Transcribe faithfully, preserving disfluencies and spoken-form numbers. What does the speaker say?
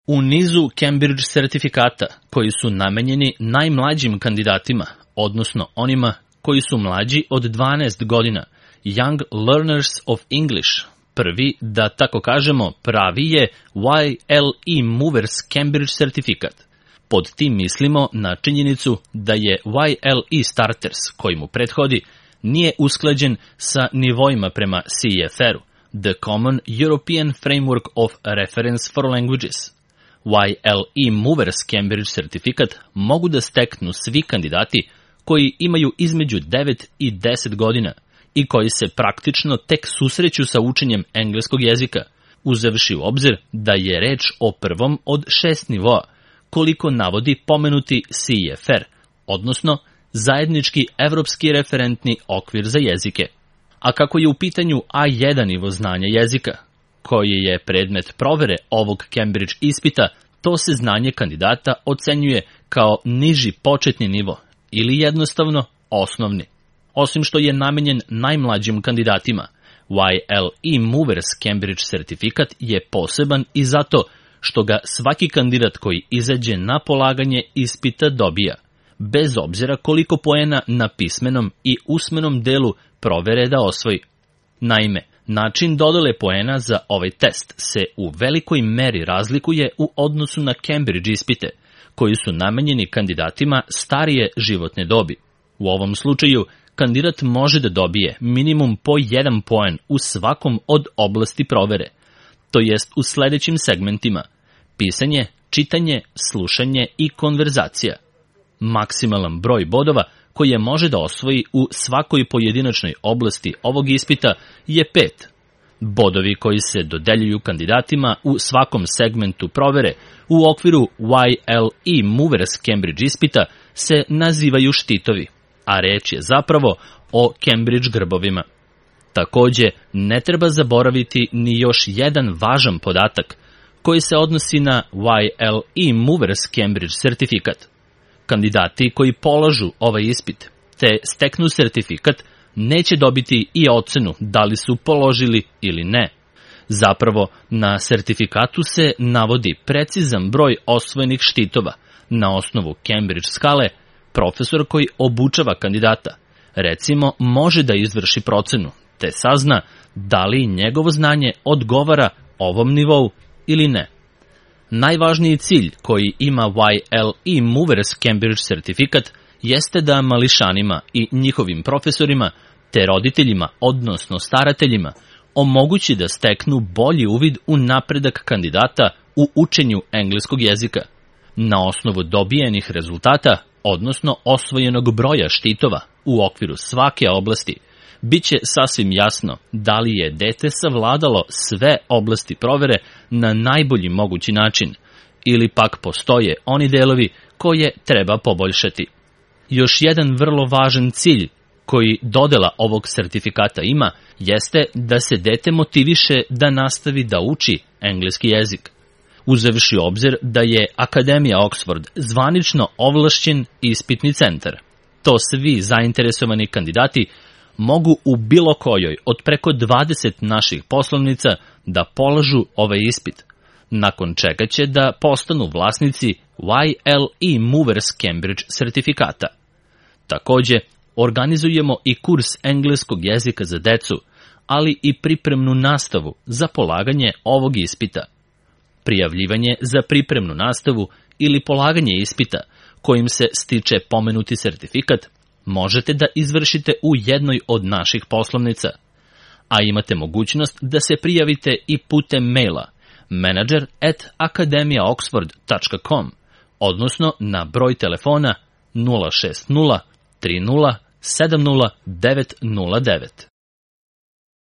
U nizu Cambridge sertifikata koji su namenjeni najmlađim kandidatima, odnosno onima koji su mlađi od dvanaest godina, Young Learners of English, prvi, da tako kažemo, pravi je Y L E Movers Cambridge sertifikat. Pod tim mislimo na činjenicu da je Y L E Starters, koji mu prethodi, nije usklađen sa nivoima prema C E F R-u, The Common European Framework of Reference for Languages. Y L E Movers Cambridge sertifikat mogu da steknu svi kandidati koji imaju između devet i deset godina i koji se praktično tek susreću sa učenjem engleskog jezika, uzevši u obzir da je reč o prvom od šest nivoa, koliko navodi pomenuti C E F R, odnosno zajednički evropski referentni okvir za jezike. A kako je u pitanju A jedan nivo znanja jezika, koji je predmet provere ovog Cambridge ispita, to se znanje kandidata ocenjuje kao niži početni nivo ili jednostavno osnovni. Osim što je namenjen najmlađim kandidatima, Y L E Movers Cambridge sertifikat je poseban i zato što ga svaki kandidat koji izađe na polaganje ispita dobija, bez obzira koliko poena na pismenom i usmenom delu provere da osvoji. Naime, način dodele poena za ovaj test se u velikoj meri razlikuje u odnosu na Cambridge ispite, koji su namenjeni kandidatima starije životne dobi. U ovom slučaju, kandidat može da dobije minimum po jedan poen u svakom od oblasti provere, to jest u sledećim segmentima: pisanje, čitanje, slušanje i konverzacija. Maksimalan broj bodova koje može da osvoji u svakoj pojedinačnoj oblasti ovog ispita je pet. Bodovi koji se dodeljuju kandidatima u svakom segmentu provere u okviru Y L E Movers Cambridge ispita se nazivaju štitovi, a reč je zapravo o Cambridge grbovima. Takođe, ne treba zaboraviti ni još jedan važan podatak koji se odnosi na Y L E Movers Cambridge sertifikat. Kandidati koji polažu ovaj ispit te steknu sertifikat neće dobiti i ocenu da li su položili ili ne. Zapravo, na sertifikatu se navodi precizan broj osvojenih štitova na osnovu Cambridge skale. Profesor koji obučava kandidata, recimo, može da izvrši procenu te sazna da li njegovo znanje odgovara ovom nivou ili ne. Najvažniji cilj koji ima Y L E Movers Cambridge sertifikat jeste da mališanima i njihovim profesorima te roditeljima, odnosno starateljima, omogući da steknu bolji uvid u napredak kandidata u učenju engleskog jezika. Na osnovu dobijenih rezultata, odnosno osvojenog broja štitova u okviru svake oblasti, biće sasvim jasno da li je dete savladalo sve oblasti provere na najbolji mogući način, ili pak postoje oni delovi koje treba poboljšati. Još jedan vrlo važan cilj koji dodela ovog sertifikata ima jeste da se dete motiviše da nastavi da uči engleski jezik. Uzevši obzir da je Akademija Oxford zvanično ovlašćen ispitni centar, to svi zainteresovani kandidati mogu u bilo kojoj od preko dvadeset naših poslovnica da polažu ovaj ispit, nakon čega će da postanu vlasnici Y L E Movers Cambridge sertifikata. Takođe, organizujemo i kurs engleskog jezika za decu, ali i pripremnu nastavu za polaganje ovog ispita. Prijavljivanje za pripremnu nastavu ili polaganje ispita kojim se stiče pomenuti sertifikat možete da izvršite u jednoj od naših poslovnica, a imate mogućnost da se prijavite i putem maila manager at akademija oxford tačka com, odnosno na broj telefona nula šest nula tri nula sedam nula devet nula devet.